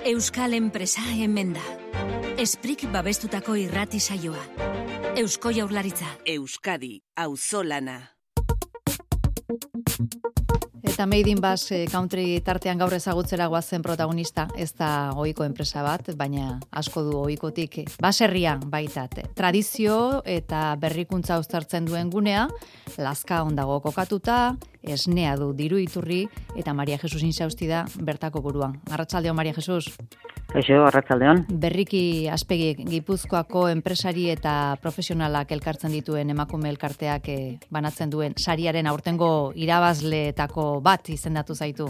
Euskal enpresa hemen da. Esprik babestutako irrati saioa. Eusko Jaurlaritza. Euskadi, auzolana. Eta Made in Basque Country tartean gaur ezagutzera goazen protagonista, ez da ohiko enpresa bat, baina asko du ohikotik baserria baitat. Tradizio eta berrikuntza uztartzen duen gunea, Lazka ondago kokatuta, esnea du diru iturri, eta Maria Jesus Insausti da bertako buruan. Arratsaldeon, Maria Jesus. Eixo, arratsaldeon. Berriki Aspegi Gipuzkoako enpresari eta profesionalak elkartzen dituen emakume elkarteak banatzen duen sariaren aurtengo irabazleetako bat izendatu zaitu.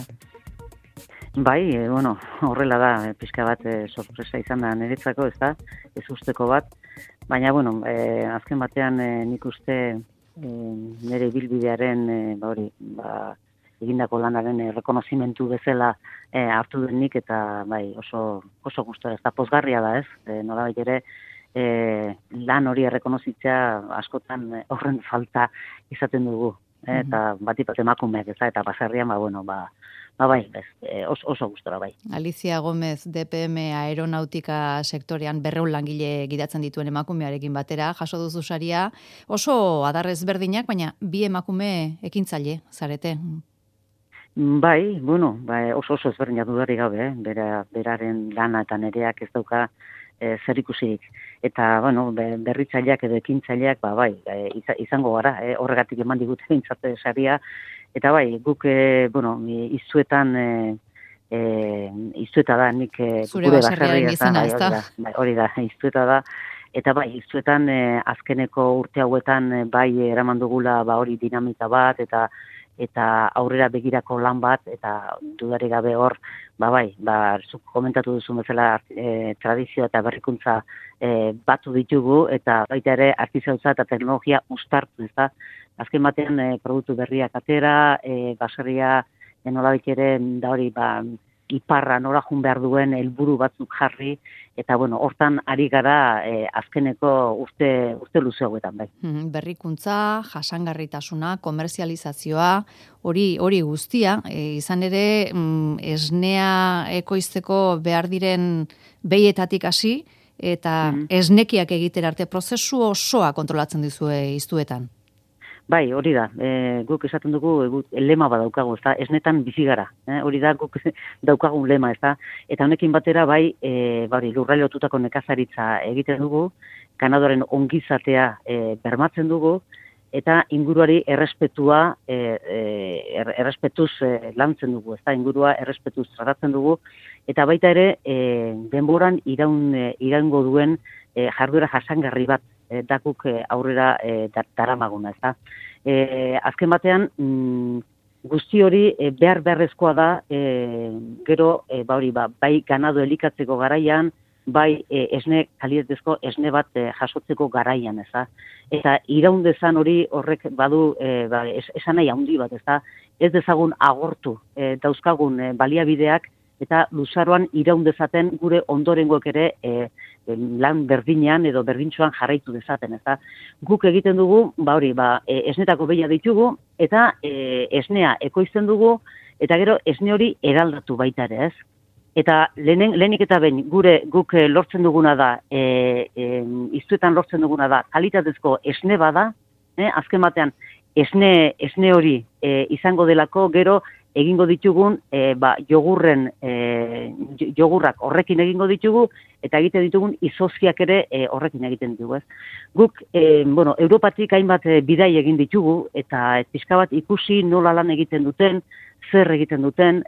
Bai, horrela da, pixka bat sorpresa izan da niretzako, ez da, ez usteko bat, baina, azken batean nik uste nire ibilbidearen, egindako lanaren rekonozimentu bezala hartu denik, eta oso gustora, ez da pozgarria da, ez? Nolabait ere, lan hori errekonozitzea askotan horren falta izaten dugu, eta batipat emakumeak ez da, eta baserrian, oso gustora bai. Alicia Gómez, DPM aeronautika sektorean 200 langile gidatzen dituen emakumearekin batera, jaso duzu saria, oso adarrez berdinak, baina bi emakume ekintzaile zarete. Bai, oso ezberdinak dudarik gabe, beraren lana eta nereak ez dauka zer ikusik. Eta, berritzaileak edo ekintzaileak, izango gara, horregatik eman digute bintzate saria. Eta guk, izuetan da, nik zure baserriaren izena, ez da? Hori da, izueta da. Eta izuetan azkeneko urte hauetan eraman dugula hori dinamika bat, eta aurrera begirako lan bat, eta dudarik gabe hor, zuk komentatu duzu bezala tradizio eta berrikuntza batu ditugu, eta baita ere artizautza eta teknologia uztartu, ez da? Azken batean produktu berriak atera, baserria nolabait ere da hori iparra nora jun behar duen helburu batzuk jarri, eta hortan ari gara azkeneko urte luze hauetan bai. Berrikuntza, jasangarritasuna, komerzializazioa, hori guztia, izan ere esnea ekoizteko behar diren behietatik hasi, eta esnekiak egitera arte prozesu osoa kontrolatzen dizue iztuetan. Bai, hori da. Guk esaten dugu lema bat daukagu, ezta? Esnetan bizi gara. Hori da guk daukagun lema, ezta? Eta honekin batera lurralde lotutako nekazaritza egiten dugu, ganadoren ongizatea bermatzen dugu, eta inguruari errespetuz lantzen dugu, ezta? Ingurua errespetuz tratatzen dugu, eta baita ere denboran iraungo duen jarduera jasangarri bat dakuk aurrera daramaguna, ezta. Azken batean, guzti hori beharrezkoa da, gero, bai ganado elikatzeko garaian, bai esne kalitatezko esne bat jasotzeko garaian, ezta. Eta iraundezan hori horrek badu esan nahi handi bat, ezta. Ez dezagun agortu dauzkagun baliabideak, eta luzaroan iraun dezaten gure ondorengoek ere lan berdinean edo berdintsuan jarraitu dezaten, ezta. Guk egiten dugu, esnetako behia ditugu, eta esnea ekoizten dugu, eta gero esne hori eraldatu baita ere, ez? Eta lehenik eta behin guk lortzen duguna da, iztuetan lortzen duguna da, kalitatezko esne bada, azken batean esne hori izango delako, gero egingo ditugun jogurrak horrekin egingo ditugu, eta egiten ditugun izozkiak ere horrekin egiten ditugu, ez? Guk, Europatik hainbat bidai egin ditugu, eta pixka bat ikusi nola lan egiten duten, zer egiten duten,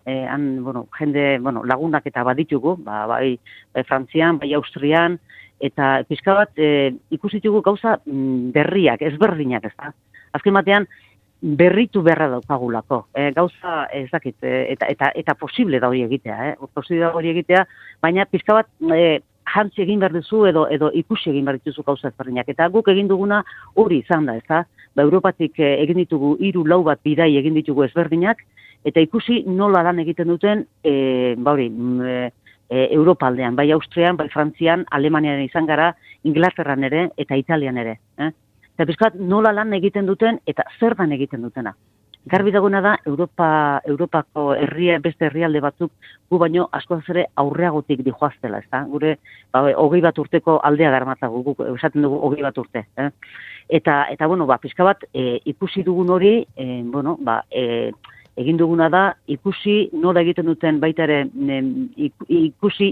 jende lagunak eta baditugu, bai Frantzian, bai Austrian, eta pixka bat ikusi ditugu gauza berriak, ezberdinak, ez da? Azken batean, berritu beharra daukagulako. Gauza ez dakit, eta posible da hori egitea, baina pixka bat jantzi egin behar duzu edo ikusi egin behar dituzu gauza ezberdinak. Eta guk egin duguna hori izan da, ez da? Europatik egin ditugu 3-4 bat bidai egin ditugu ezberdinak, eta ikusi nola lan egiten duten, Europa aldean, bai Austrian, bai Frantzian, Alemanian izan gara, Inglaterran ere, eta Italian ere. Eta pixkat nola lan egiten duten, eta zer dan egiten dutena. Garbi dagoena da, Europako beste herrialde batzuk, gu baino askoz ere aurreagotik dijoaztela, ezta? Gure, 20 urteko aldea darmatzagu, guk esaten dugu 20 urte. Eta bueno, pixka bat, ikusi dugun hori, egin duguna da, ikusi nola egiten duten baita ere,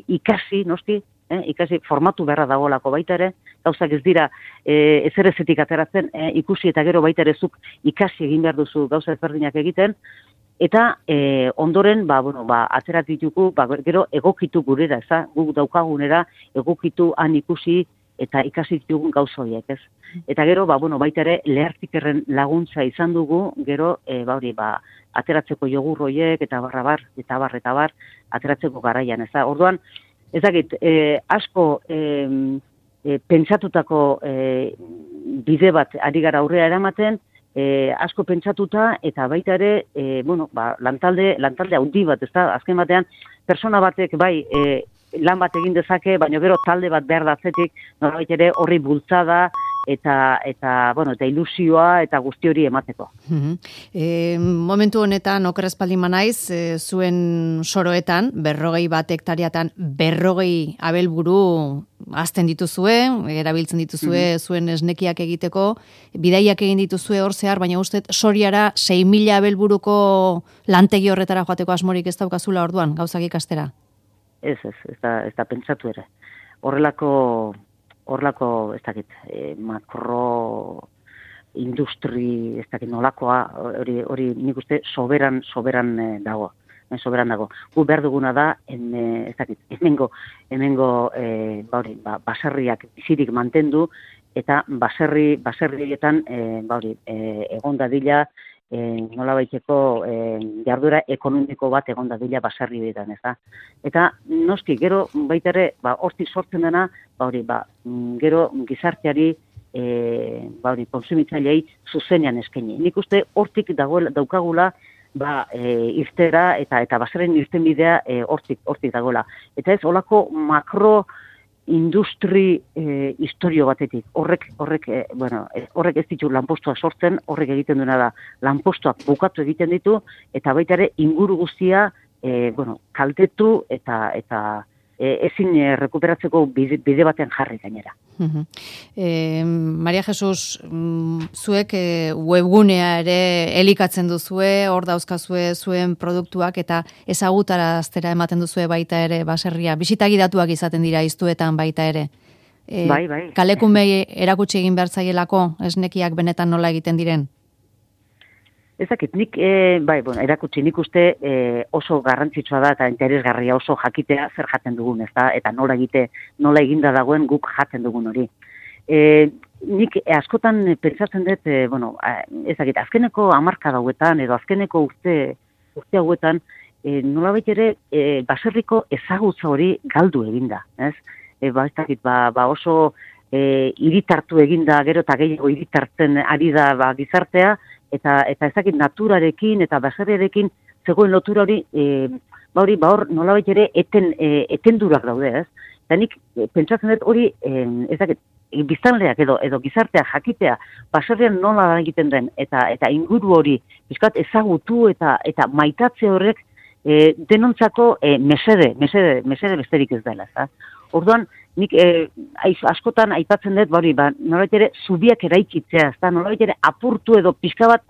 ikasi, noski, ikasi formatu beharra dagoelako baita ere, gauzak ez dira ezerezetik ateratzen, ikusi eta gero baita ere zuk ikasi egin behar duzu gauza ezberdinak egiten, eta ondoren, aterat ditugu, gero egokitu gurera, guk daukagunera, egokitu han ikusi eta ikasi ditugun gauza horiek, ez? Eta gero, baita ere, lehartikerren laguntza izan dugu, gero, ateratzeko jogur horiek, eta bar, ateratzeko garaian, ez da? Orduan, ez dakit, asko pentsatutako bide bat ari gara aurrera eramaten, asko pentsatuta, eta baita ere, lantalde handi bat, ez da? Azken batean, persona batek, lan bat egin dezake, baina gero talde bat behar da zetik, nolabait ere horri bultzada, eta ilusioa eta guzti hori emateko. Momentu honetan, okerrezpaldin manaiz, zuen soroetan, 40 hektariatan, 40 abelburu azten dituzue, erabiltzen dituzue zuen esnekiak egiteko, bidaiak egin dituzue hor zehar, baina uste soriara 6.000 abelburuko lantegi horretara joateko asmorik ez daukazula orduan, gauzak ikastera? Ez da pentsatu ere. Horrelako, ez dakit, makro industri, ez dakit nolakoa, hori nik uste soberan dago. Gu behar duguna da, ez dakit, hemengo baserriak bizirik mantendu, eta baserrietan, egon dadila, nola baiteko jarduera ekonomiko bat egon dadila baserri horietan, ez da. Eta noski, gero baita ere, hortik sortzen dena, gero gizarteari, konsumitzailei zuzenean eskaini. Nik uste hortik daukagula, irtera eta baserren irtenbidea hortik dagoela. Eta ez, holako makro industri historio batetik. Horrek ez ditu lanpostuak sortzen, horrek egiten duena da lanpostuak bukatu egiten ditu, eta baita ere inguru guztia kaltetu eta ezin rekuperatzeko bide baten jarri gainera. Maria Jesus, zuek webgunea ere elikatzen duzue, hor dauzkazue zuen produktuak eta ezagutaraztera ematen duzue baita ere baserria. Bisitagidatuak izaten dira iztuetan baita ere. Bai. Kalekunbei erakutsi egin behar zaielako esnekiak benetan nola egiten diren? Ezakit, nik, erakutsi nik uste oso garrantzitsua da eta interesgarria oso jakitea zer jaten dugun, ezta? Eta nola eginda dagoen guk jaten dugun hori. Nik askotan pentsatzen dut, ezakit, azkeneko hamarkada hauetan edo azkeneko urte hauetan, nolabait ere baserriko ezagutza hori galdu eginda, ez? Ezakit, oso hiritartu eginda, gero eta gehiago hiritartzen ari da gizartea, eta ezakit naturarekin eta baserriarekin zegoen lotura hori, hor nolabait ere etendurak daude, ez? Eta nik pentsatzen dut hori, ezakit, biztanleak edo gizartea jakitea, baserrian nola egiten den, eta inguru hori, bizkat ezagutu eta maitatze horrek denontzako mesede besterik ez dela, ez da? Orduan, nik askotan aipatzen dut, nolabait ere zubiak eraikitzea, ez da, nolabait ere apurtu edo pixka bat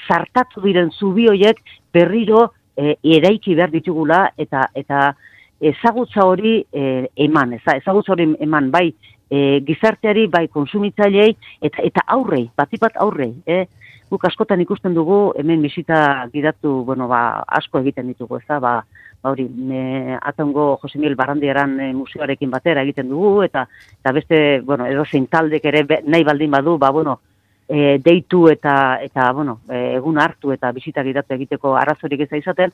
zartatu diren zubi horiek berriro eraiki behar ditugula eta ezagutza hori eman, ezagutza hori eman bai gizarteari, bai konsumitzailei eta aurrei, batipat aurrei, guk askotan ikusten dugu, hemen bisita gidatu, asko egiten ditugu, ez da, Atongo Jose Miguel Barrandiaran museoarekin batera egiten dugu, eta beste, edozein taldek ere nahi baldin badu, deitu eta egun hartu eta bisita gidatu egiteko arazorik ez da izaten,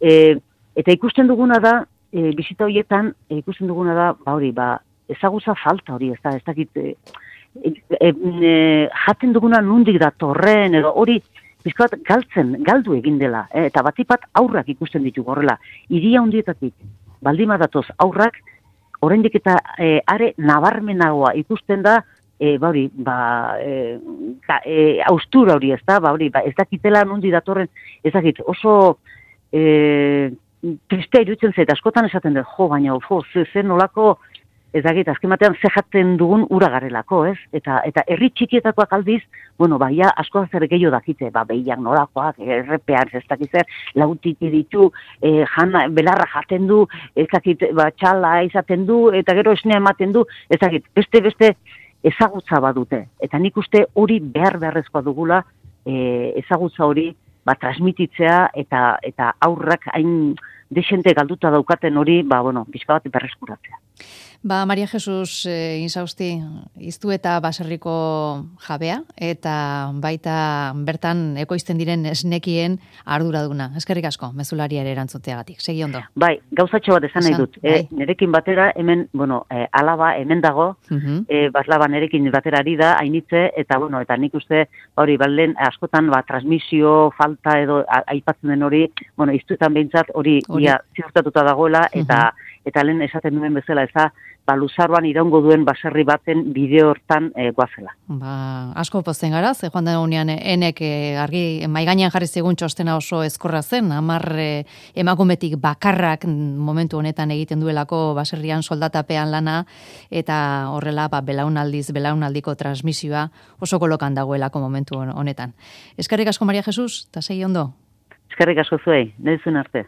eta ikusten duguna da, bisita horietan, ikusten duguna da, ezagutza falta hori, ez dakit, jaten duguna nundik datorren, edo hori, bizkat galdu egin dela, eta batipat aurrak ikusten ditugu horrela. Hiria hundietatik, baldima datoz aurrak, oraindik eta are nabarmenagoa ikusten da austura hori, ez da, ez dakitela nondi datorren, ez dakit, oso tristea iruditzen zait, askotan esaten dut, baina, zen nolako, ez dakit, azken batean zehatzen dugun ura garelako, ez? Eta herri txikietakoak aldiz, ja, asko zer gehiago dakite, behiak nolakoak, errepean, ez dakit zer, lautik ditu, belarra jaten du, ez dakit, txala izaten du, eta gero esnea ematen du, ez dakit, beste ezagutza badute. Eta nik uste hori beharrezkoa dugula, ezagutza hori, transmititzea, eta aurrak hain desente galduta daukaten hori, pixka bat berreskuratzea. Maria Jesus Insausti, iztu eta baserriko jabea, eta baita bertan ekoizten diren esnekien arduraduna. Eskerrik asko, mezulariare erantzuteagatik. Segi ondo. Gauzatxo bat esan nahi dut. Nerekin batera, hemen, alaba hemen dago, baslaba nerekin batera ari da, hainitze, eta nik uste, balen askotan, transmisio, falta edo aipatzen den hori, iztuetan behintzat hori ziurtatuta dagoela, eta lehen esaten duen bezala, ez da, luzaroan iraungo duen baserri baten bideo hortan guazela. Asko pozten gara, ze joan da unean enek argi maigainan jarri zigun txostena oso ezkorra zen, 10 emakumetik bakarrak momentu honetan egiten duelako baserrian soldatapean lana, eta horrela belaunaldiko transmisioa oso kolokan dagoelako momentu honetan. Eskerrik asko Maria Jesus, eta segi ondo. Eskerrik asko zuei, nahi zuen arte.